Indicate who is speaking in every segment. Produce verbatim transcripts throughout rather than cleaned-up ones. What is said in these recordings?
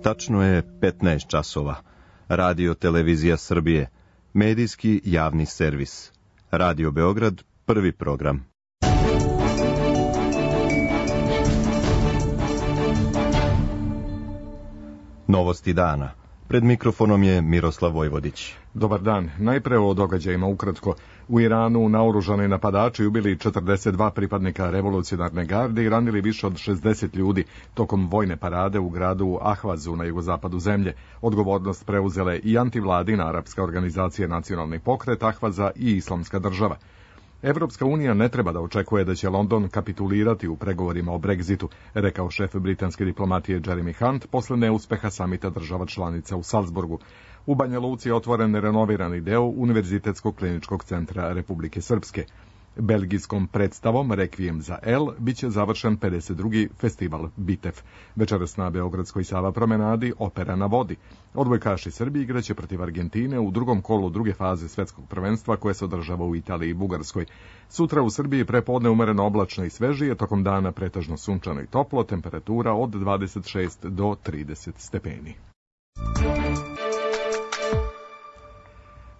Speaker 1: Tačno je petnaest časova. Radio Televizija Srbije, medijski javni servis. Radio Beograd, prvi program. Novosti dana. Pred mikrofonom je Miroslav Vojvodić.
Speaker 2: Dobar dan. Najpre o događajima ukratko. U Iranu naoružani napadači ubili četrdeset dva pripadnika revolucionarne garde i ranili više od šezdeset ljudi tokom vojne parade u gradu Ahvazu na jugozapadu zemlje. Odgovornost preuzele i antivladina arapska organizacija Nacionalni pokret Ahvaza i Islamska država. Evropska unija ne treba da očekuje da će London kapitulirati u pregovorima o Brexitu, rekao šef britanske diplomatije Jeremy Hunt posle neuspeha samita država članica u Salzburgu. U Banja Luci je otvoren renovirani deo Univerzitetskog kliničkog centra Republike Srpske. Belgijskom predstavom Rekvijem za El biće završen pedeset drugi festival Bitev. Večeras na Beogradskoj Sava promenadi Opera na vodi. Odbojkaši Srbije igraće protiv Argentine u drugom kolu druge faze svetskog prvenstva koje se održava u Italiji i Bugarskoj. Sutra u Srbiji prepodne umereno oblačno i svežije, tokom dana pretežno sunčano i toplo, temperatura od dvadeset šest do trideset stepeni.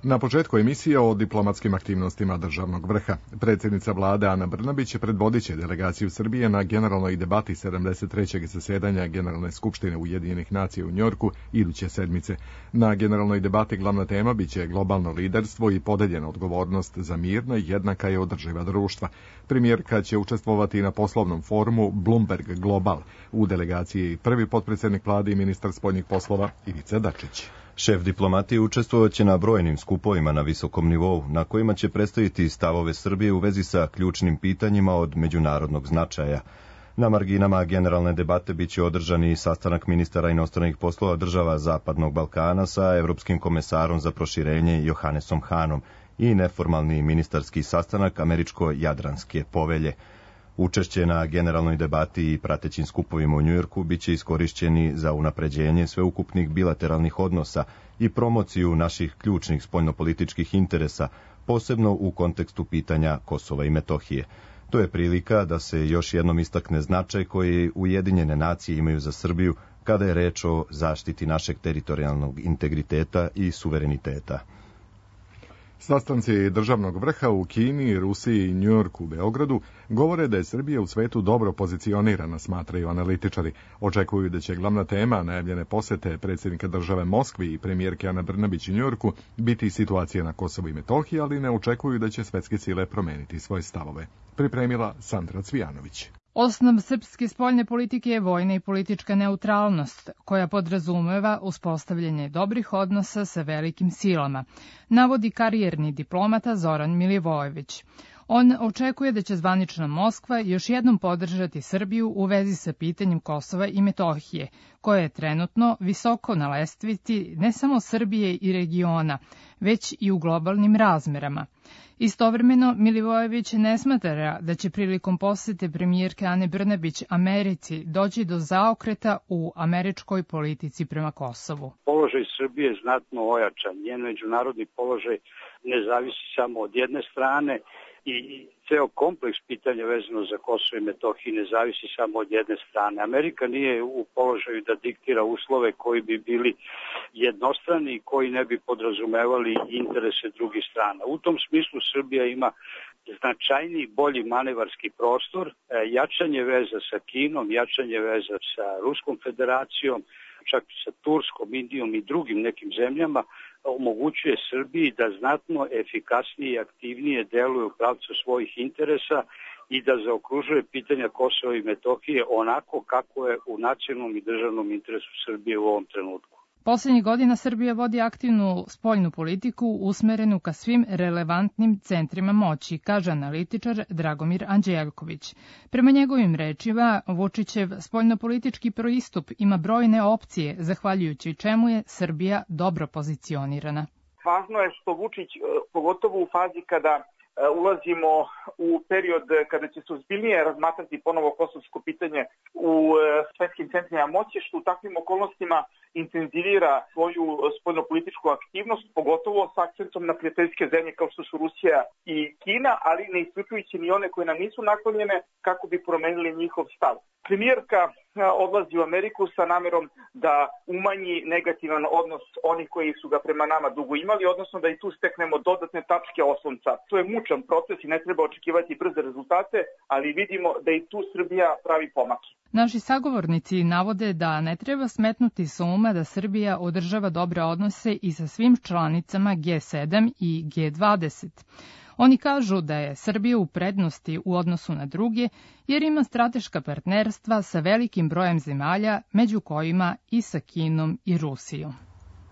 Speaker 2: Na početku emisije o diplomatskim aktivnostima državnog vrha. Predsjednica vlade Ana Brnabić predvodit će delegaciju Srbije na generalnoj debati sedamdeset trećeg zasedanja Generalne skupštine Ujedinjenih nacija u Njorku iduće sedmice. Na generalnoj debati glavna tema biće globalno liderstvo i podeljena odgovornost za mirna, jednaka i održiva društva. Premijerka će učestvovati na poslovnom forumu Bloomberg Global. U delegaciji je prvi potpredsjednik vlade i ministar spoljnih poslova Ivica Dačić.
Speaker 1: Šef diplomatije učestvovaće na brojnim skupovima na visokom nivou, na kojima će predstaviti stavove Srbije u vezi sa ključnim pitanjima od međunarodnog značaja. Na marginama generalne debate biće održan i sastanak ministara inostranih poslova država Zapadnog Balkana sa evropskim komesarom za proširenje Johannesom Hanom i neformalni ministarski sastanak Američko-Jadranske povelje. Učešće na generalnoj debati i pratećim skupovima u Njujorku biće iskorišćeni za unapređenje sveukupnih bilateralnih odnosa i promociju naših ključnih spoljnopolitičkih interesa, posebno u kontekstu pitanja Kosova i Metohije. To je prilika da se još jednom istakne značaj koji Ujedinjene nacije imaju za Srbiju kada je reč o zaštiti našeg teritorijalnog integriteta i suvereniteta.
Speaker 2: Sastanci državnog vrha u Kini, Rusiji i Njujorku u Beogradu govore da je Srbija u svetu dobro pozicionirana, smatraju analitičari. Očekuju da će glavna tema najavljene posete predsjednika države Moskvi i premijerke Ane Brnabić u Njujorku biti situacija na Kosovu i Metohiji, ali ne očekuju da će svetske sile promeniti svoje stavove. Pripremila Sandra Cvijanović.
Speaker 3: Osnov srpske spoljne politike je vojna i politička neutralnost, koja podrazumeva uspostavljanje dobrih odnosa sa velikim silama, navodi karijerni diplomata Zoran Milivojević. On očekuje da će zvanična Moskva još jednom podržati Srbiju u vezi sa pitanjem Kosova i Metohije, koje je trenutno visoko na lestvici ne samo Srbije i regiona, već i u globalnim razmerama. Istovremeno, Milivojević ne smatra da će prilikom posete premijerke Ane Brnabić Americi doći do zaokreta u američkoj politici prema Kosovu.
Speaker 4: Položaj Srbije je znatno ojačan. Njen međunarodni položaj ne zavisi samo od jedne strane i ceo kompleks pitanja vezano za Kosovo i Metohiju ne zavisi samo od jedne strane. Amerika nije u položaju da diktira uslove koji bi bili jednostrani i koji ne bi podrazumevali interese drugih strana. U tom smislu Srbija ima značajniji, bolji manevarski prostor, jačanje veza sa Kinom, jačanje veza sa Ruskom federacijom, čak sa Turskom, Indijom i drugim nekim zemljama, omogućuje Srbiji da znatno efikasnije i aktivnije deluje u pravcu svojih interesa i da zaokružuje pitanja Kosova i Metohije onako kako je u nacionalnom i državnom interesu Srbije u ovom trenutku.
Speaker 3: Poslednjih godina Srbija vodi aktivnu spoljnu politiku usmerenu ka svim relevantnim centrima moći, kaže analitičar Dragomir Anđelković. Prema njegovim rečima, Vučićev spoljnopolitički pristup ima brojne opcije, zahvaljujući čemu je Srbija dobro pozicionirana.
Speaker 5: Važno je što Vučić, pogotovo u fazi kada ulazimo u period kada će se ozbiljnije razmatrati ponovo kosovsko pitanje u svetskim centrima moći, što u takvim okolnostima intenzivira svoju spoljnopolitičku aktivnost, pogotovo s akcentom na prijateljske zemlje kao što su Rusija i Kina, ali ne isključujući ni one koje nam nisu naklonjene kako bi promenili njihov stav. Premijerka odlazi u Ameriku sa namerom da umanji negativan odnos onih koji su ga prema nama dugo imali, odnosno da i tu steknemo dodatne tačke oslonca. To je mučan proces i ne treba očekivati brze rezultate, ali vidimo da i tu Srbija pravi pomake.
Speaker 3: Naši sagovornici navode da ne treba smetnuti sa uma da Srbija održava dobre odnose i sa svim članicama G sedam i G dvadeset. Oni kažu da je Srbija u prednosti u odnosu na druge, jer ima strateška partnerstva sa velikim brojem zemalja, među kojima i sa Kinom i Rusijom.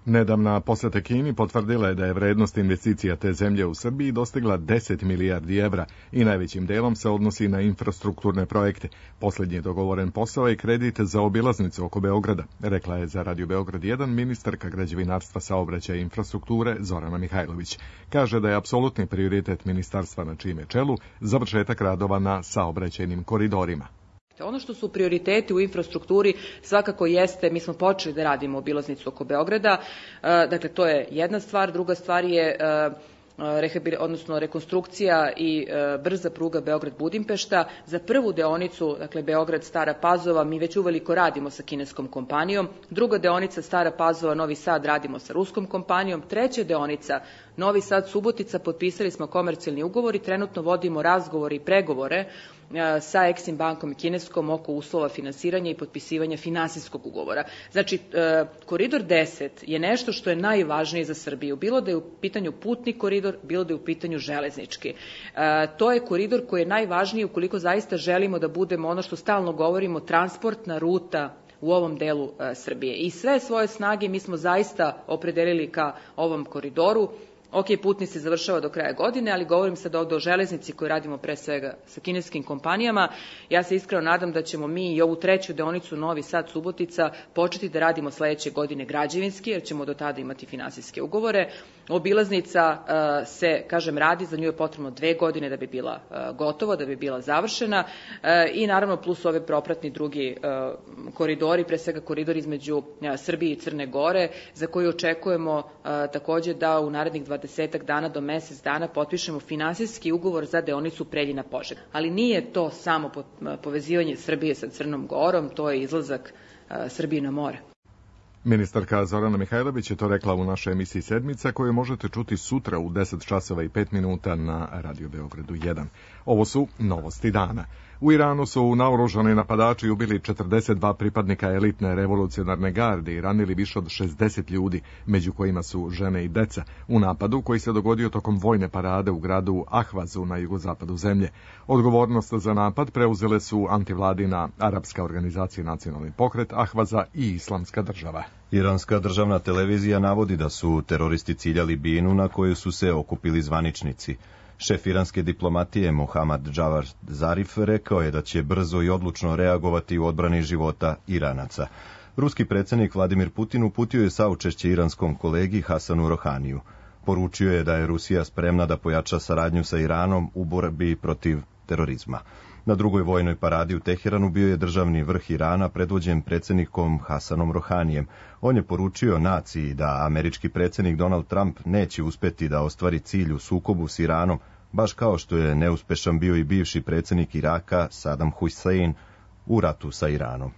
Speaker 2: Nedavna poseta Kini potvrdila je da je vrednost investicija te zemlje u Srbiji dostigla deset milijardi evra i najvećim delom se odnosi na infrastrukturne projekte. Poslednji dogovoren posao je kredit za obilaznicu oko Beograda, rekla je za Radio Beograd jedan ministarka građevinarstva, saobraćaja i infrastrukture Zorana Mihajlović. Kaže da je apsolutni prioritet ministarstva na čijem je čelu završetak radova na saobraćajnim koridorima.
Speaker 6: Ono što su prioriteti u infrastrukturi svakako jeste, mi smo počeli da radimo obilaznicu oko Beograda, dakle to je jedna stvar, druga stvar je odnosno rekonstrukcija i brza pruga Beograd-Budimpešta. Za prvu deonicu, dakle Beograd-Stara Pazova, mi već uveliko radimo sa kineskom kompanijom, druga deonica Stara Pazova-Novi Sad radimo sa ruskom kompanijom, treća deonica Novi Sad-Subotica potpisali smo komercijalni ugovor i trenutno vodimo razgovore i pregovore sa Exim bankom i kineskom oko uslova finansiranja i potpisivanja finansijskog ugovora. Znači, koridor deset je nešto što je najvažnije za Srbiju, bilo da je u pitanju putni koridor, bilo da je u pitanju železnički. To je koridor koji je najvažniji ukoliko zaista želimo da budemo ono što stalno govorimo, transportna ruta u ovom delu Srbije. I sve svoje snage mi smo zaista opredelili ka ovom koridoru. Ok, putni se završava do kraja godine, ali govorim sad ovdje o železnici koju radimo pre svega sa kineskim kompanijama. Ja se iskreno nadam da ćemo mi i ovu treću deonicu Novi Sad-Subotica početi da radimo sledeće godine građevinski, jer ćemo do tada imati finansijske ugovore. Obilaznica uh, se, kažem, radi, za nju je potrebno dve godine da bi bila uh, gotova, da bi bila završena uh, i naravno plus ove propratni drugi uh, koridori, pre svega koridor između uh, Srbije i Crne Gore, za koji očekujemo uh, takođe da u narednih dvadesetak dana do mesec dana potpišemo finansijski ugovor za deonicu Preljina-Požega. Ali nije to samo povezivanje Srbije sa Crnom Gorom, to je izlazak uh, Srbije na more.
Speaker 2: Ministarka Zorana Mihajlović je to rekla u našoj emisiji Sedmica, koju možete čuti sutra u deset časova i pet minuta na Radio Beogradu jedan. Ovo su novosti dana. U Iranu su naoružani napadači ubili četrdeset dva pripadnika elitne revolucionarne garde i ranili više od šezdeset ljudi, među kojima su žene i deca, u napadu koji se dogodio tokom vojne parade u gradu Ahvazu na jugozapadu zemlje. Odgovornost za napad preuzele su antivladina Arapska organizacija Nacionalni pokret Ahvaza i Islamska država.
Speaker 1: Iranska državna televizija navodi da su teroristi ciljali binu na koju su se okupili zvaničnici. Šef iranske diplomatije Mohammad Javad Zarif rekao je da će brzo i odlučno reagovati u odbrani života Iranaca. Ruski predsjednik Vladimir Putin uputio je saučešće iranskom kolegi Hasanu Rohaniju. Poručio je da je Rusija spremna da pojača saradnju sa Iranom u borbi protiv terorizma. Na drugoj vojnoj paradi u Teheranu bio je državni vrh Irana predvođen predsjednikom Hasanom Rohanijem. On je poručio naciji da američki predsjednik Donald Trump neće uspjeti da ostvari cilj u sukobu s Iranom, baš kao što je neuspešan bio i bivši predsjednik Iraka Saddam Hussein u ratu sa Iranom.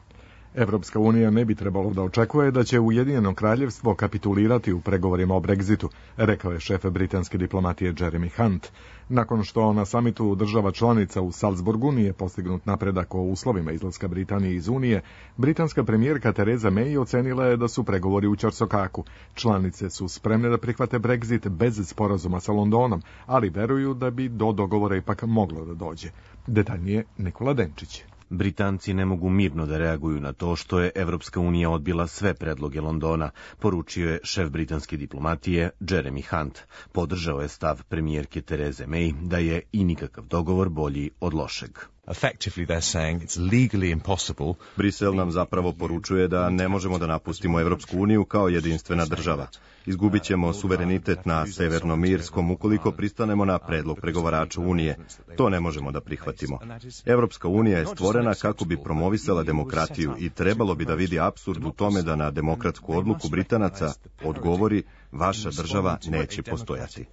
Speaker 2: Evropska unija ne bi trebalo da očekuje da će Ujedinjeno kraljevstvo kapitulirati u pregovorima o Brexitu, rekao je šef britanske diplomatije Jeremy Hunt. Nakon što na samitu država članica u Salzburgu nije postignut napredak o uslovima izlaska Britanije iz Unije, britanska premijerka Theresa May ocenila je da su pregovori u ćorsokaku. Članice su spremne da prihvate Brexit bez sporazuma sa Londonom, ali veruju da bi do dogovora ipak moglo da dođe. Detaljnije Nikola Denčić.
Speaker 7: Britanci ne mogu mirno da reaguju na to što je Evropska unija odbila sve predloge Londona, poručio je šef britanske diplomatije Jeremy Hunt. Podržao je stav premijerke Therese May da je i nikakav dogovor bolji od lošeg.
Speaker 8: Effectively they're saying it's legally impossible.
Speaker 1: Brisel nam zapravo poručuje da ne možemo da napustimo Evropsku uniju kao jedinstvena država. Izgubit ćemo suverenitet na Severnom Irskom ukoliko pristanemo na predlog pregovarača Unije. To ne možemo da prihvatimo. Evropska unija je stvorena kako bi promovisala demokratiju i trebalo bi da vidi apsurd u tome da na demokratsku odluku Britanaca odgovori vaša država neće postojati.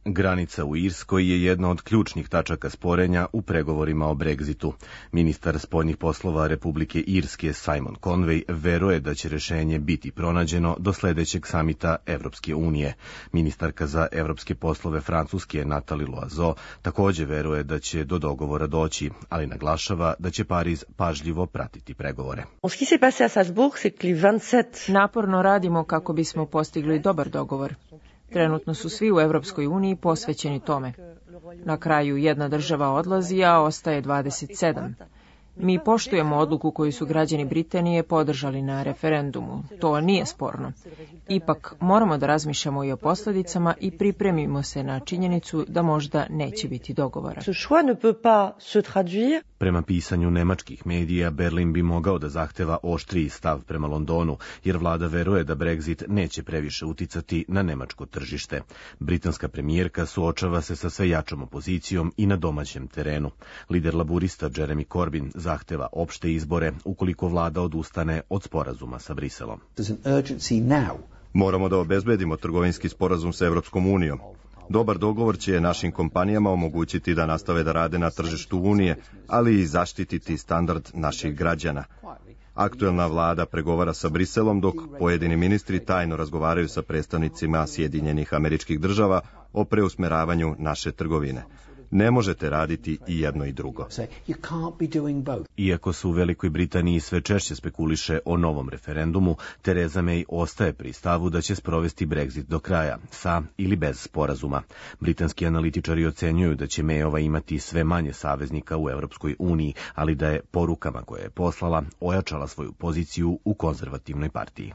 Speaker 7: Granica u Irskoj je jedna od ključnih tačaka sporenja u pregovorima o Brexitu. Ministar spoljnih poslova Republike Irske Simon Conway veruje da će rešenje biti pronađeno do sledećeg samita Evropske unije. Ministarka za evropske poslove Francuske Nathalie Loiseau takođe veruje da će do dogovora doći, ali naglašava da će Pariz pažljivo pratiti pregovore.
Speaker 9: Naporno radimo kako bismo postigli dobar dogovor. Trenutno su svi u Evropskoj uniji posvećeni tome. Na kraju jedna država odlazi, a ostaje dvadeset sedam. Mi poštujemo odluku koju su građani Britanije podržali na referendumu. To nije sporno. Ipak moramo da razmišljamo i o posljedicama i pripremimo se na činjenicu da možda neće biti dogovora.
Speaker 7: Prema pisanju nemačkih medija, Berlin bi mogao da zahteva oštriji stav prema Londonu, jer vlada veruje da Brexit neće previše uticati na nemačko tržište. Britanska premijerka suočava se sa sve jačom opozicijom i na domaćem terenu. Lider laburista Jeremy Corbyn zahteva opšte izbore ukoliko vlada odustane od sporazuma sa Briselom.
Speaker 1: Moramo da obezbedimo trgovinski sporazum sa Evropskom unijom. Dobar dogovor će našim kompanijama omogućiti da nastave da rade na tržištu Unije, ali i zaštititi standard naših građana. Aktuelna vlada pregovara sa Briselom, dok pojedini ministri tajno razgovaraju sa predstavnicima Sjedinjenih Američkih Država o preusmeravanju naše trgovine. Ne možete raditi i jedno i drugo.
Speaker 7: Iako se u Velikoj Britaniji sve češće spekuliše o novom referendumu, Theresa May ostaje pri stavu da će sprovesti Brexit do kraja, sa ili bez sporazuma. Britanski analitičari ocenjuju da će Mayova imati sve manje saveznika u Evropskoj uniji, ali da je porukama koje je poslala ojačala svoju poziciju u konzervativnoj partiji.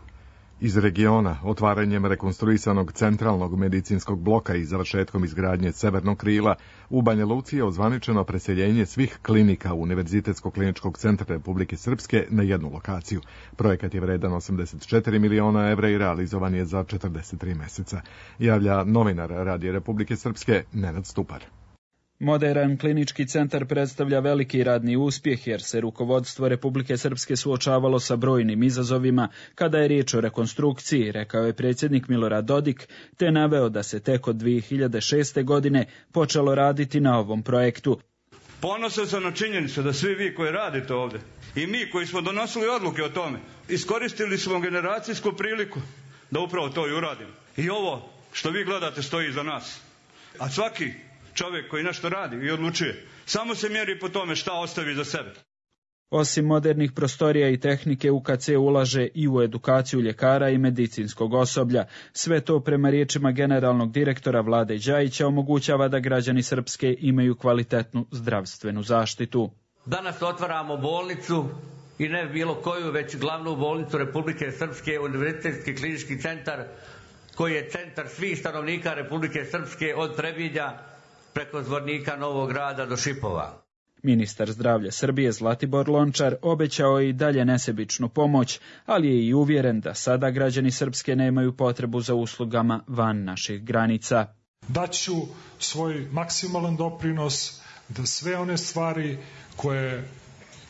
Speaker 2: Iz regiona, otvaranjem rekonstruisanog centralnog medicinskog bloka i završetkom izgradnje severnog krila, u Banja Luci je ozvaničeno preseljenje svih klinika Univerzitetskog kliničkog centra Republike Srpske na jednu lokaciju. Projekat je vredan osamdeset četiri miliona evra i realizovan je za četrdeset tri meseca. Javlja novinar Radija Republike Srpske Nenad Stupar.
Speaker 10: Moderan klinički centar predstavlja veliki radni uspjeh jer se rukovodstvo Republike Srpske suočavalo sa brojnim izazovima kada je riječ o rekonstrukciji, rekao je predsjednik Milorad Dodik, te naveo da se tek od dvije hiljade šeste. godine počelo raditi na ovom projektu.
Speaker 11: Ponosan sam na činjenicu da svi vi koji radite ovdje i mi koji smo donosili odluke o tome, iskoristili smo generacijsku priliku da upravo to i uradimo. I ovo što vi gledate stoji iza nas. A svaki čovjek koji nešto radi i odlučuje, samo se mjeri po tome šta ostavi za sebe.
Speaker 10: Osim modernih prostorija i tehnike, U K C ulaže i u edukaciju ljekara i medicinskog osoblja. Sve to, prema riječima generalnog direktora Vlade Đajića, omogućava da građani Srpske imaju kvalitetnu zdravstvenu zaštitu.
Speaker 12: Danas otvaramo bolnicu i ne bilo koju, već glavnu bolnicu Republike Srpske, Univerzitetski klinički centar, koji je centar svih stanovnika Republike Srpske od Trebinja preko Zvornika, Novog Grada do Šipova.
Speaker 10: Ministar zdravlja Srbije Zlatibor Lončar obećao je i dalje nesebičnu pomoć, ali je i uvjeren da sada građani Srpske nemaju potrebu za uslugama van naših granica.
Speaker 13: Daću svoj maksimalan doprinos da sve one stvari koje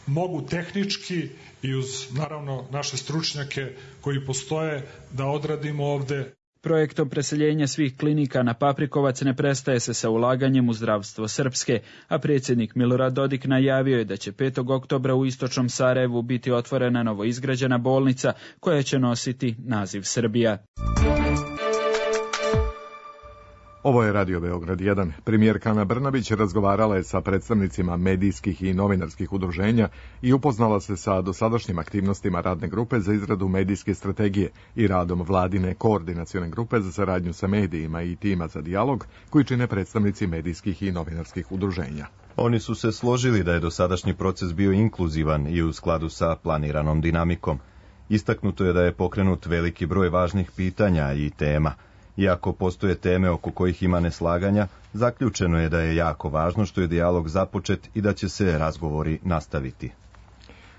Speaker 13: mogu tehnički i uz naravno naše stručnjake koji postoje da odradimo ovde.
Speaker 10: Projektom preseljenja svih klinika na Paprikovac ne prestaje se sa ulaganjem u zdravstvo Srpske, a predsjednik Milorad Dodik najavio je da će petog oktobra u istočnom Sarajevu biti otvorena novoizgrađena bolnica koja će nositi naziv Srbija.
Speaker 2: Ovo je Radio Beograd jedan. Premijerka Ana Brnabić razgovarala je sa predstavnicima medijskih i novinarskih udruženja i upoznala se sa dosadašnjim aktivnostima radne grupe za izradu medijske strategije i radom vladine koordinacione grupe za saradnju sa medijima i tima za dijalog koji čine predstavnici medijskih i novinarskih udruženja.
Speaker 1: Oni su se složili da je dosadašnji proces bio inkluzivan i u skladu sa planiranom dinamikom. Istaknuto je da je pokrenut veliki broj važnih pitanja i tema. Iako postoje teme oko kojih ima neslaganja, zaključeno je da je jako važno što je dijalog započet i da će se razgovori nastaviti.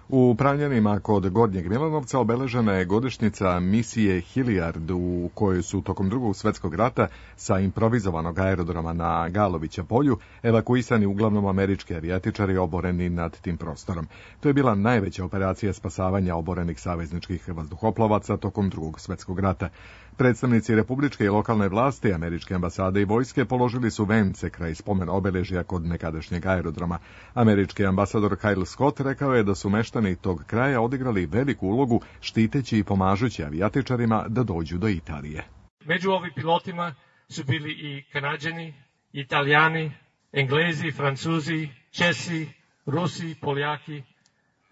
Speaker 2: U Pranjanima kod Gornjeg Milanovca obeležena je godišnjica misije Hillijard, u kojoj su tokom Drugog svjetskog rata sa improvizovanog aerodroma na Galovića polju evakuisani uglavnom američki avijatičari oboreni nad tim prostorom. To je bila najveća operacija spasavanja oborenih savezničkih vazduhoplovaca tokom Drugog svjetskog rata. Predstavnici republičke i lokalne vlasti, američke ambasade i vojske položili su vence kraj spomen obeležja kod nekadašnjeg aerodroma. Američki ambasador Kyle Scott rekao je da su meštani tog kraja odigrali veliku ulogu štiteći i pomažući avijatičarima da dođu do Italije.
Speaker 14: Među ovim pilotima su bili i Kanađani, Italijani, Englezi, Francuzi, Česi, Rusi, Poljaki,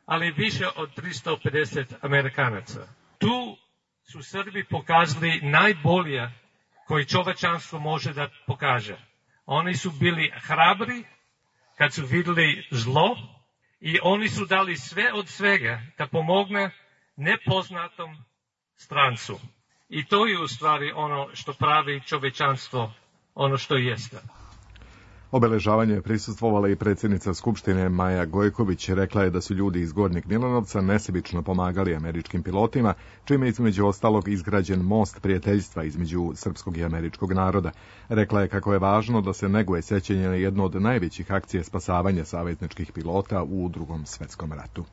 Speaker 14: ali više od tristo pedeset Amerikanaca. Tu su Srbi pokazali najbolje koji čovečanstvo može da pokaže. Oni su bili hrabri kad su vidjeli zlo i oni su dali sve od svega da pomogne nepoznatom strancu. I to je u stvari ono što pravi čovečanstvo, ono što jeste.
Speaker 2: Obeležavanje je prisustvovala i predsjednica Skupštine Maja Gojković. Rekla je da su ljudi iz Gornjeg Milanovca nesebično pomagali američkim pilotima, čime je između ostalog izgrađen most prijateljstva između srpskog i američkog naroda. Rekla je kako je važno da se neguje sećanje na jednu od najvećih akcija spasavanja savezničkih pilota u Drugom svjetskom ratu.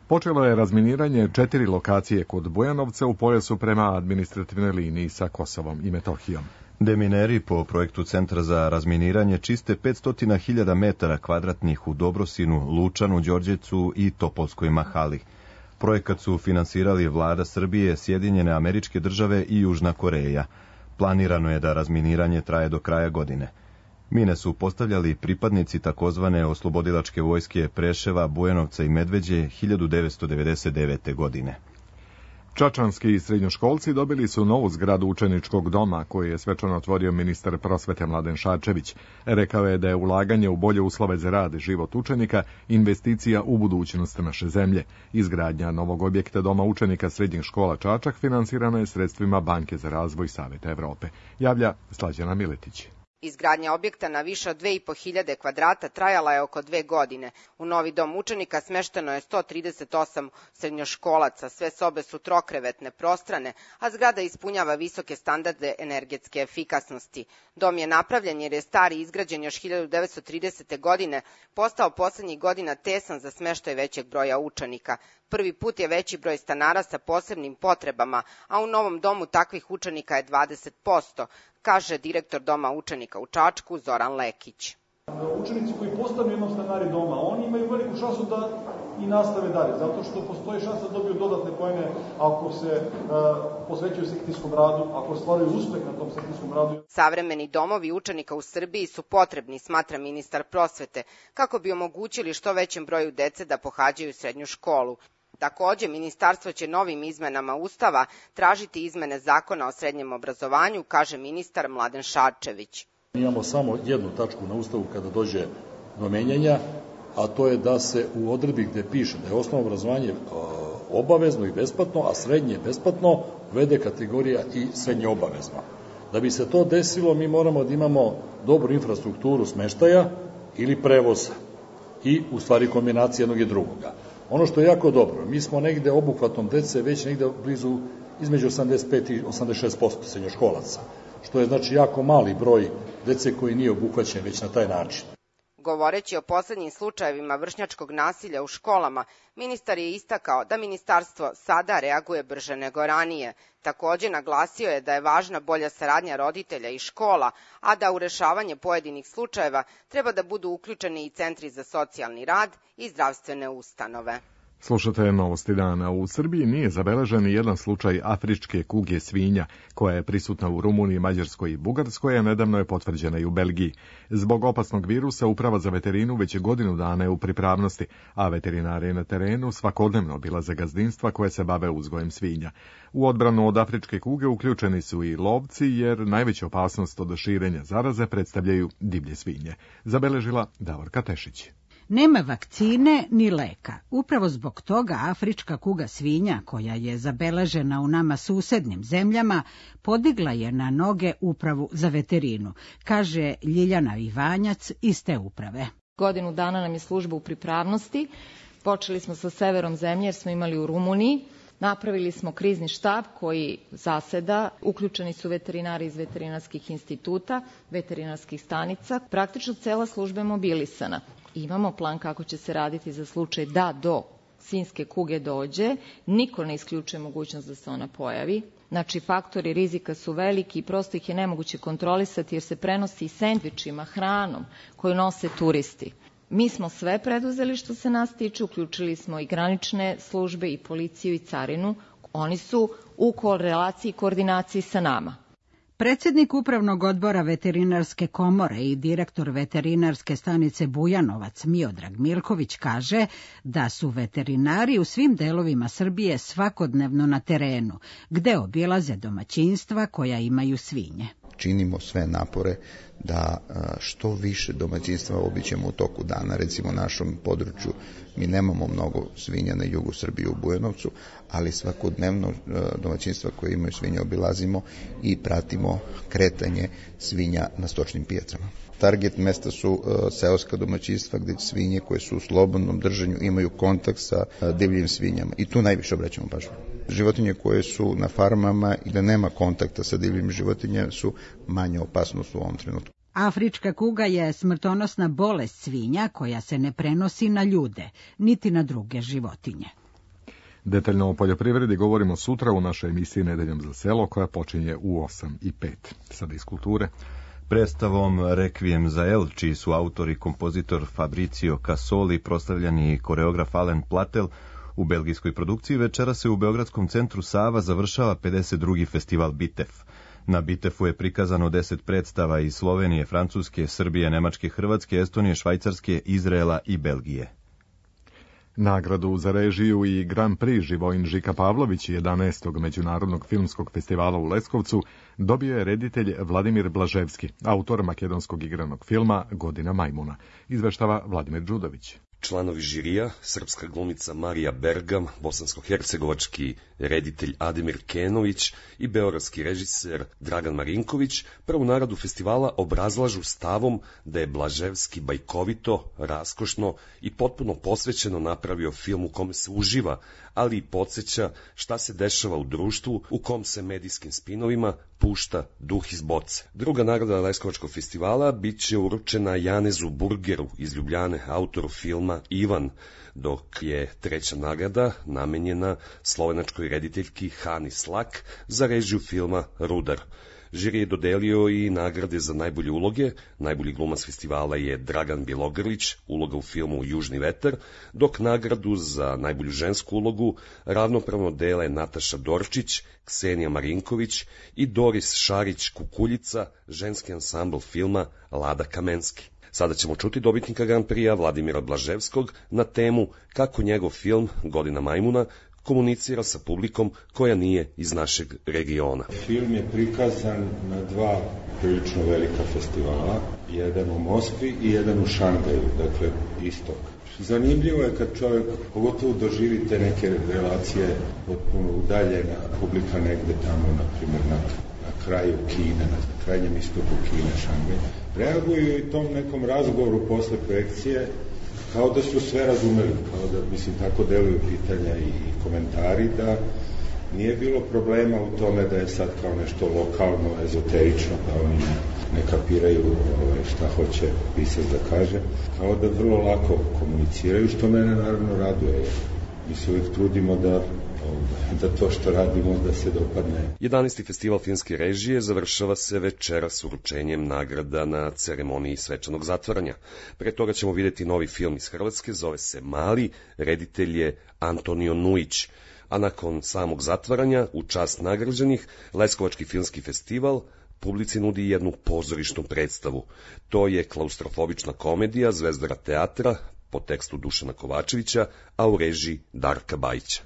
Speaker 2: Počelo je razminiranje četiri lokacije kod Bujanovca u pojasu prema administrativnoj liniji sa Kosovom i Metohijom.
Speaker 1: Demineri po projektu Centra za razminiranje čiste petsto hiljada metara kvadratnih u Dobrosinu, Lučanu, Đorđevcu i Topolskoj Mahali. Projekat su finansirali Vlada Srbije, Sjedinjene Američke Države i Južna Koreja. Planirano je da razminiranje traje do kraja godine. Mine su postavljali pripadnici takozvane oslobodilačke vojske Preševa, Bujanovca i Medveđe hiljadu devetsto devedeset devete. godine.
Speaker 2: Čačanski srednjoškolci dobili su novu zgradu učeničkog doma koju je svečano otvorio ministar prosvete Mladen Šarčević. Rekao je da je ulaganje u bolje uslove za rad i život učenika investicija u budućnost naše zemlje. Izgradnja novog objekta doma učenika srednjih škola Čačak finansirana je sredstvima Banke za razvoj Saveta Evrope. Javlja Slađana Miletić.
Speaker 15: Izgradnja objekta na više od dve i po hiljade kvadrata trajala je oko dve godine. U novi dom učenika smešteno je sto trideset osam srednjoškolaca, sve sobe su trokrevetne, prostrane, a zgrada ispunjava visoke standarde energetske efikasnosti. Dom je napravljen jer je stari izgrađen još hiljadu devetsto tridesete. godine, postao poslednjih godina tesan za smeštaj većeg broja učenika. Prvi put je veći broj stanara sa posebnim potrebama, a u novom domu takvih učenika je dvadeset posto, kaže direktor doma učenika u Čačku Zoran Lekić.
Speaker 16: Učenici koji postanu jednom stanari doma, oni imaju veliku šansu da i nastave dalje, zato što postoji šansa da dobiju dodatne poene ako se uh, posvećuju sekcijskom radu, ako stvaraju uspeh na tom sekcijskom radu.
Speaker 15: Savremeni domovi učenika u Srbiji su potrebni, smatra ministar prosvete, kako bi omogućili što većem broju dece da pohađaju srednju školu. Takođe, ministarstvo će novim izmenama Ustava tražiti izmene zakona o srednjem obrazovanju, kaže ministar Mladen Šarčević.
Speaker 17: Imamo samo jednu tačku na Ustavu kada dođe do menjanja, a to je da se u odredbi gde piše da je osnovno obrazovanje obavezno i besplatno, a srednje besplatno, uvede kategorija i srednje obavezno. Da bi se to desilo, mi moramo da imamo dobru infrastrukturu smeštaja ili prevoza i u stvari kombinacije jednog i drugoga. Ono što je jako dobro, mi smo negde obuhvatom dece već negde blizu između osamdeset pet i osamdeset šest posto srednjoškolaca, što je znači jako mali broj dece koji nije obuhvaćen već na taj način.
Speaker 15: Govoreći o poslednjim slučajevima vršnjačkog nasilja u školama, ministar je istakao da ministarstvo sada reaguje brže nego ranije. Takođe naglasio je da je važna bolja saradnja roditelja i škola, a da u rešavanje pojedinih slučajeva treba da budu uključeni i centri za socijalni rad i zdravstvene ustanove.
Speaker 2: Slušate Novosti dana. U Srbiji nije zabeležen jedan slučaj afričke kuge svinja, koja je prisutna u Rumuniji, Mađarskoj i Bugarskoj, a nedavno je potvrđena i u Belgiji. Zbog opasnog virusa Uprava za veterinu već godinu dana je u pripravnosti, a veterinari na terenu svakodnevno obilaze gazdinstva koje se bave uzgojem svinja. U odbranu od afričke kuge uključeni su i lovci, jer najveću opasnost od širenja zaraze predstavljaju divlje svinje. Zabeležila Davorka Tešić.
Speaker 18: Nema vakcine ni leka. Upravo zbog toga afrička kuga svinja, koja je zabeležena u nama susednim zemljama, podigla je na noge upravu za veterinu, kaže Ljiljana Ivanjac iz te uprave.
Speaker 19: Godinu dana nam je služba u pripravnosti. Počeli smo sa severom zemlje jer smo imali u Rumuniji. Napravili smo krizni štab koji zaseda, uključeni su veterinari iz veterinarskih instituta, veterinarskih stanica. Praktično cela služba je mobilisana. Imamo plan kako će se raditi za slučaj da do svinjske kuge dođe. Niko ne isključuje mogućnost da se ona pojavi. Znači, faktori rizika su veliki i prosto ih je nemoguće kontrolisati jer se prenosi sendvičima, hranom koju nose turisti. Mi smo sve preduzeli što se nas tiče, uključili smo i granične službe i policiju i carinu. Oni su u korelaciji i koordinaciji sa nama.
Speaker 18: Predsjednik Upravnog odbora Veterinarske komore i direktor veterinarske stanice Bujanovac Miodrag Milković kaže da su veterinari u svim delovima Srbije svakodnevno na terenu, gde obilaze domaćinstva koja imaju svinje.
Speaker 20: Činimo sve napore da što više domaćinstva obiđemo u toku dana. Recimo u našom području mi nemamo mnogo svinja na jugu Srbije u Bujanovcu, ali svakodnevno domaćinstva koje imaju svinje obilazimo i pratimo kretanje svinja na stočnim pijacama. Target mesta su uh, seoska domaćinstva gde svinje koje su u slobodnom držanju imaju kontakt sa uh, divljim svinjama i tu najviše obraćamo pažnju. Životinje koje su na farmama i da nema kontakta sa divljim životinjama su manje opasnost u ovom trenutku.
Speaker 18: Afrička kuga je smrtonosna bolest svinja koja se ne prenosi na ljude, niti na druge životinje.
Speaker 2: Detaljno o poljoprivredi govorimo sutra u našoj emisiji Nedeljom za selo koja počinje u osam i pet. Sada iz kulture.
Speaker 1: Predstavom Requiem za El, čiji su autor i kompozitor Fabrizio Casoli, proslavljani koreograf Alen Platel, u belgijskoj produkciji večera se u Beogradskom centru Sava završava pedeset drugi festival Bitef. Na Bitefu je prikazano deset predstava iz Slovenije, Francuske, Srbije, Nemačke, Hrvatske, Estonije, Švajcarske, Izraela i Belgije.
Speaker 2: Nagradu za režiju i Grand Prix Živojin Žika Pavlović jedanaestog Međunarodnog filmskog festivala u Leskovcu dobio je reditelj Vladimir Blaževski, autor makedonskog igranog filma Godina majmuna, izveštava Vladimir Đudović.
Speaker 21: Članovi žirija, srpska glumica Marija Bergam, bosansko-hercegovački reditelj Ademir Kenović i beogradski režiser Dragan Marinković prvu nagradu festivala obrazlažu stavom da je Blaževski bajkovito, raskošno i potpuno posvećeno napravio film u kome se uživa, ali i podsjeća šta se dešava u društvu u kom se medijskim spinovima pušta duh iz boce. Druga nagrada Leskovačkog festivala bit će uručena Janezu Burgeru iz Ljubljane, autoru filma Ivan, dok je treća nagrada namenjena slovenačkoj rediteljki Hani Slak za režiju filma Rudar. Žiri je dodelio i nagrade za najbolje uloge. Najbolji glumac festivala je Dragan Bjelogrlić, uloga u filmu Južni vetar, dok nagradu za najbolju žensku ulogu ravnopravno dele Nataša Dorčić, Ksenija Marinković i Doris Šarić-Kukuljica, ženski ansambl filma Lada Kamenski. Sada ćemo čuti dobitnika Grand Prix-a Vladimira Blaževskog na temu kako njegov film Godina majmuna komunicira sa publikom koja nije iz našeg regiona.
Speaker 22: Film je prikazan na dva prilično velika festivala, jedan u Moskvi i jedan u Šangaju, dakle istok. Zanimljivo je kad čovjek pogotovo doživi te neke relacije potpuno udaljena, publika negde tamo, na primjer, na, na kraju Kine, na krajnjem istoku Kine, Šangaj. Reaguju i tom nekom razgovoru posle projekcije kao da su sve razumeli, kao da, mislim, tako deluju pitanja i, i komentari, da nije bilo problema u tome da je sad kao nešto lokalno, ezoterično, da oni ne, ne kapiraju ovaj, šta hoće pisac da kaže, kao da vrlo lako komuniciraju, što mene naravno raduje. Mi se uvijek trudimo da da to što radimo da se dopadne.
Speaker 21: jedanaesti festival filmske režije završava se večera s uručenjem nagrada na ceremoniji svečanog zatvaranja. Pre toga ćemo vidjeti novi film iz Hrvatske, zove se Mali, reditelj je Antonio Nujić, a nakon samog zatvaranja, u čast nagrađenih, Leskovački filmski festival publici nudi jednu pozorišnu predstavu. To je klaustrofobična komedija Zvezdara teatra po tekstu Dušana Kovačevića, a u režiji Darka Bajića.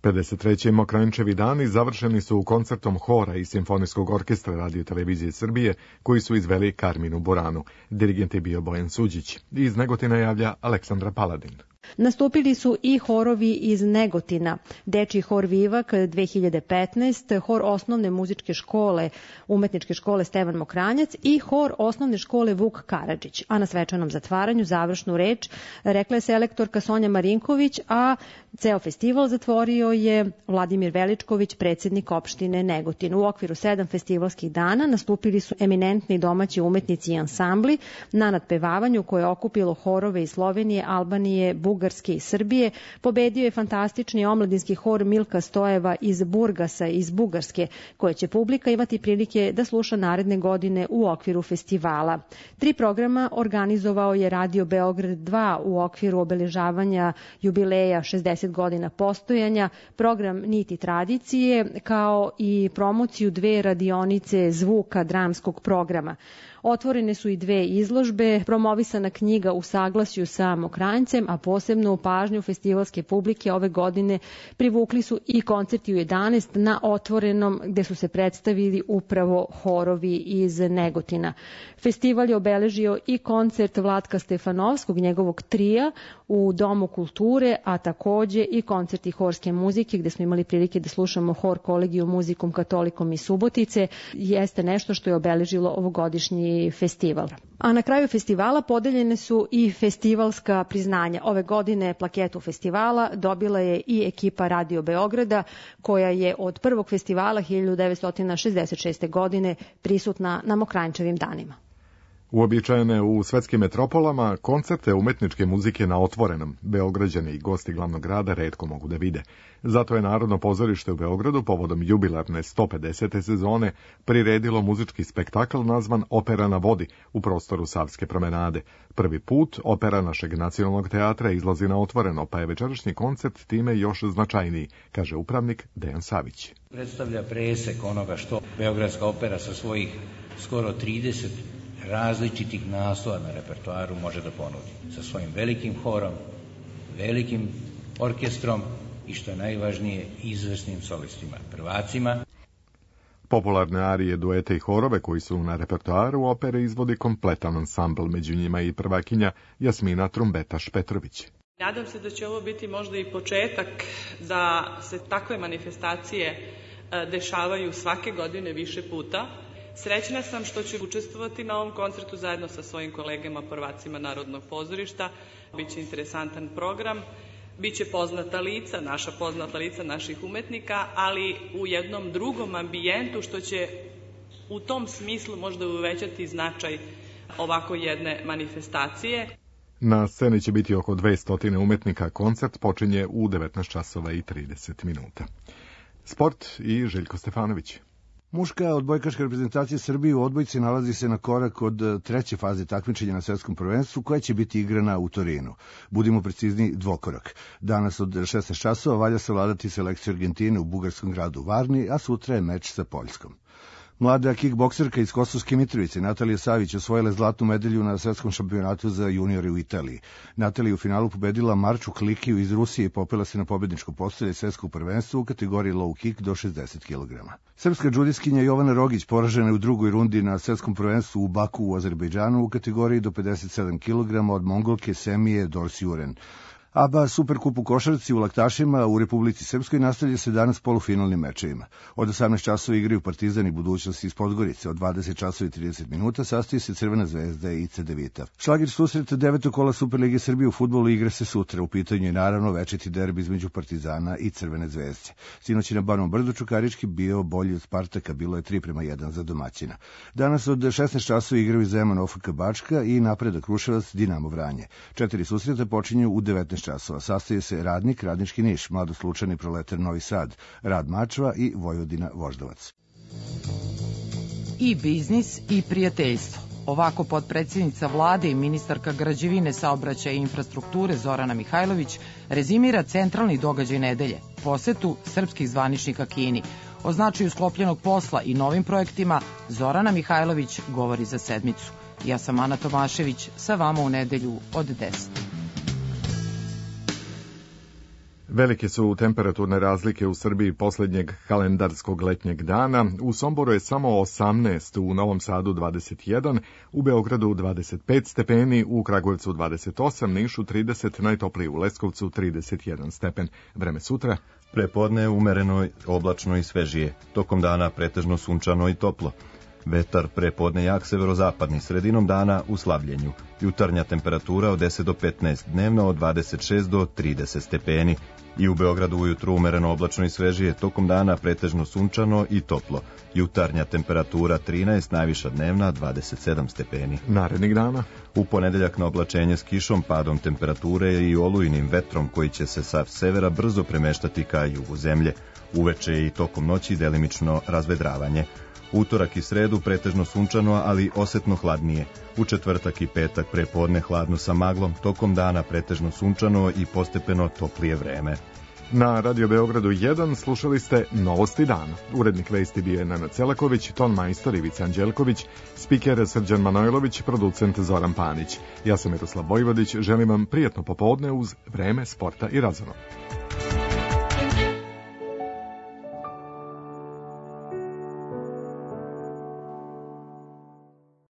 Speaker 2: pedeset treći Mokranjčevi dani završeni su koncertom hora i simfonijskog orkestra Radio televizije Srbije, koji su izveli Karminu Boranu. Dirigent je bio Bojan Suđić. Iz Negotina javlja Aleksandra Paladin.
Speaker 4: Nastupili su i horovi iz Negotina, Dečiji hor Vivak dve hiljade petnaeste, hor osnovne muzičke škole, umetničke škole Stevan Mokranjac i hor osnovne škole Vuk Karadžić. A na svečanom zatvaranju završnu reč rekla je selektorka Sonja Marinković, a ceo festival zatvorio je Vladimir Veličković, predsjednik opštine Negotin. U okviru sedam festivalskih dana nastupili su eminentni domaći umetnici i ansambli na nadpevavanju koje je okupilo horove iz Slovenije, Albanije, Bugarske i Srbije. Pobedio je fantastični omladinski hor Milka Stojeva iz Burgasa iz Bugarske, koje će publika imati prilike da sluša naredne godine u okviru festivala. Tri programa organizovao je Radio Beograd dva u okviru obeležavanja jubileja šezdeset godina postojanja, program Niti tradicije, kao i promociju dve radionice zvuka dramskog programa. Otvorene su i dve izložbe, promovisana knjiga u saglasju sa Mokranjcem, a posebno u pažnju festivalske publike ove godine privukli su i koncerti u jedanaest na otvorenom, gde su se predstavili upravo horovi iz Negotina. Festival je obeležio i koncert Vlatka Stefanovskog, njegovog trija u Domu kulture, a takođe i koncerti horske muzike, gde smo imali prilike da slušamo hor Kolegiju muzikom katolikom iz Subotice, jeste nešto što je obeležilo ovogodišnji festival. A na kraju festivala podeljene su i festivalska priznanja. Ove godine plaketu festivala dobila je i ekipa Radio Beograda, koja je od prvog festivala hiljadu devetsto šezdeset šeste. godine prisutna na Mokranjčevim danima.
Speaker 2: Uobičajene u svetskim metropolama, koncerte umetničke muzike na otvorenom Beograđani i gosti glavnog grada retko mogu da vide. Zato je Narodno pozorište u Beogradu povodom jubilarne sto pedesete sezone priredilo muzički spektakl nazvan Opera na vodi u prostoru Savske promenade. Prvi put opera našeg nacionalnog teatra izlazi na otvoreno, pa je večerašnji koncert time još značajniji, kaže upravnik Dejan Savić.
Speaker 5: Predstavlja presek onoga što Beogradska opera sa svojih skoro trideset različitih naslova na repertoaru može da ponudi. Sa svojim velikim horom, velikim orkestrom i što je najvažnije, izvrsnim solistima, prvacima.
Speaker 2: Popularne arije, duete i horove koji su na repertoaru opere izvodi kompletan ansambl, među njima i prvakinja Jasmina Trumbetaš Petrović.
Speaker 23: Nadam se da će ovo biti možda i početak da se takve manifestacije dešavaju svake godine više puta. Srećna sam što ću učestvovati na ovom koncertu zajedno sa svojim kolegama prvacima Narodnog pozorišta. Biće interesantan program, biće poznata lica, naša poznata lica naših umetnika, ali u jednom drugom ambijentu što će u tom smislu možda uvećati značaj ovako jedne manifestacije.
Speaker 2: Na sceni će biti oko dvesta umetnika, koncert počinje u devetnaest časova i trideset minuta. Sport i Željko Stefanović.
Speaker 24: Muška odbojkaška reprezentacija Srbije u odbojci nalazi se na korak od treće faze takmičenja na svetskom prvenstvu, koja će biti igrana u Torinu. Budimo precizni, dvokorak. Danas od šesnaest časova valja savladati selekciju Argentine u bugarskom gradu Varni, a sutra je meč sa Poljskom. Mlada kickbokserka iz Kosovske Mitrovice, Natalija Savić, osvojila zlatnu medalju na svetskom šampionatu za juniore u Italiji. Natalija u finalu pobedila Marču Klikiju iz Rusije i popela se na pobedničko postolje svetskog prvenstva u kategoriji low kick do šezdeset kilograma. Srpska džudiskinja Jovana Rogić poražena je u drugoj rundi na svetskom prvenstvu u Baku u Azerbejdžanu u kategoriji do pedeset sedam kilograma od Mongolke Semije Dorsjuren. A B A Superkup u košarci u Laktašima u Republici Srpskoj nastavlja se danas polufinalnim mečevima. Od osamnaest časova igraju Partizan i Budućnost iz Podgorice. Od dvadeset časova i trideset minuta sastoji se Crvena zvezda i Cedevita. Šlagir susret devetog kola Superlige Srbije u fudbalu igra se sutra. U pitanju je naravno večiti derbi između Partizana i Crvene zvezde. Sinoć je na Banom Brdu Čukarički bio bolji od Spartaka, bilo je tri prema jedan za domaćina. Danas od šesnaest časova igraju Zeman O F K Bačka i Napredak Kruševac Dinamo Vranje. Četiri susreta počinju u devetnaest časova. Sastoje se Radnik, Radnički Niš, Mladoslučani Proletar Novi Sad, Rad Mačva i Vojvodina Voždovac.
Speaker 25: I biznis i prijateljstvo. Ovako potpredsjednica vlade i ministarka građevine, saobraćaja i infrastrukture Zorana Mihajlović rezimira centralni događaj nedelje, posetu srpskih zvaničnika Kini. O značaju sklopljenog posla i novim projektima Zorana Mihajlović govori za sedmicu. Ja sam Ana Tomašević, sa vama u nedelju od deset.
Speaker 2: Velike su temperaturne razlike u Srbiji posljednjeg kalendarskog letnjeg dana. U Somboru je samo osamnaest, u Novom Sadu dvadeset jedan, u Beogradu dvadeset pet stepeni, u Kragujevcu dvadeset osam, Nišu trideset, najtopliji u Leskovcu trideset jedan stepen. Vreme sutra?
Speaker 1: Prepodne umereno, oblačno i svežije. Tokom dana pretežno sunčano i toplo. Vetar prepodne jak severozapadni, sredinom dana u slabljenju. Jutarnja temperatura od deset do petnaest, dnevno od dvadeset šest do trideset stepeni. I u Beogradu ujutru umereno oblačno i svežije, tokom dana pretežno sunčano i toplo. Jutarnja temperatura trinaest, najviša dnevna dvadeset sedam stepeni.
Speaker 2: Narednih dana?
Speaker 1: U ponedeljak na oblačenje s kišom, padom temperature i olujnim vetrom koji će se sa severa brzo premeštati ka jugu zemlje. Uveče i tokom noći delimično razvedravanje. Utorak i sredu pretežno sunčano, ali osetno hladnije. U četvrtak i petak prepodne hladno sa maglom, tokom dana pretežno sunčano i postepeno toplije vreme.
Speaker 2: Na Radio Beogradu jedan slušali ste Novosti dana. Urednik vesti bio je Nenad Celaković, ton majstor Ivica Anđelković, spiker Srđan Manojlović, producent Zoran Panić. Ja sam Miroslav Vojvodić, želim vam prijatno popodne uz vreme, sporta i razvona.